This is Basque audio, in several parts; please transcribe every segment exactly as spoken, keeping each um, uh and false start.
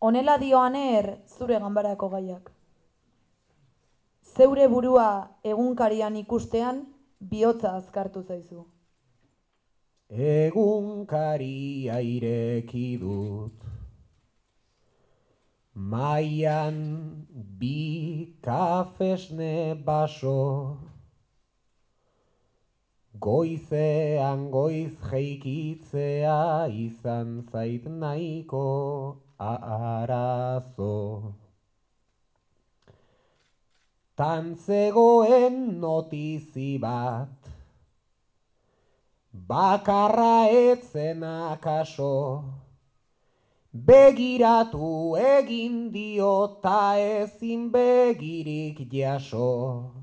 Honela dioaner zure ganbarako gaiak. Zeure burua egunkarian ikustean bihotza azkartu zaizu. Egunkaria ireki dut, maian bi kafesne baso, goizean goiz jeikitzea izan zait nahiko arazo. Tan zegoen notizi bat, bakarra etzen akaso, begiratu egin dio ta ezin begirik jaso.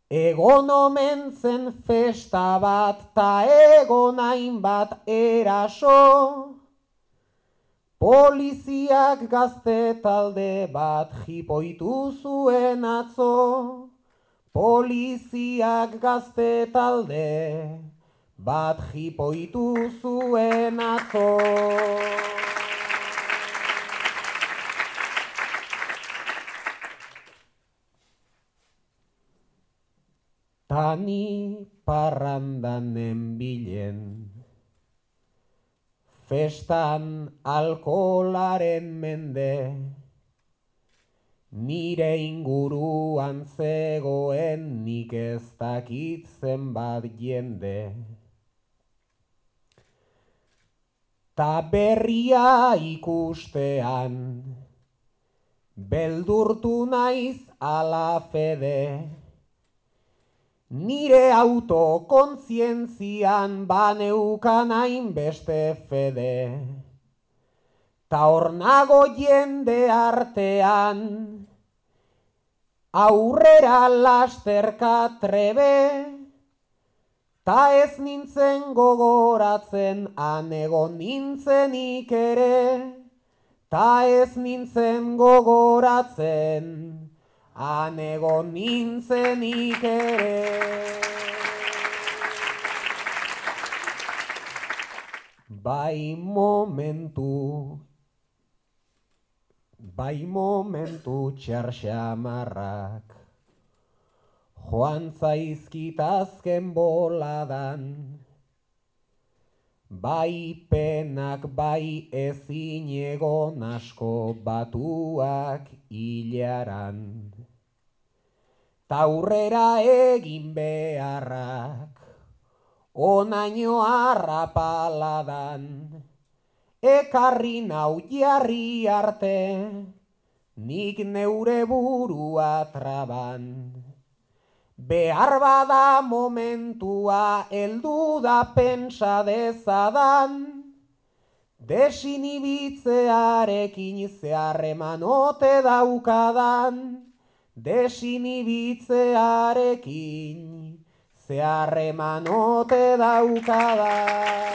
Egon omen zen festa bat ta egon hainbat eraso, poliziak gazte talde bat jipoitu zuen atzo, poliziak gazte talde bat jipoitu zuen atzo. Tani parrandan nenbilen, festan alkoholaren mende, nire inguruan zegoen nik ez dakit zenbat jende. Ta berria ikustean, beldurtu naiz ala fede, nire autokontzientzian baneukan hainbeste fede. Ta hor nago jende artean, aurrera lasterka trebe, ta ez nintzen gogoratzen han egon nintzenik ere, ta ez nintzen gogoratzen han egon nintzenik ere. Bai momentu, bai momentu txarxamarrak, joan zaizkit azken boladan, bai penak bai ezin egon asko batuak hilaran. Taurrera egin beharrak, onaino arrapaladan, ekarri nau jarri arte, nik neure burua traban. Behar bada momentua heldu da pentsa dezadan, desinibitzearekin zeharreman ote daukadan, desinibitzearekin zeharreman ote daukadan.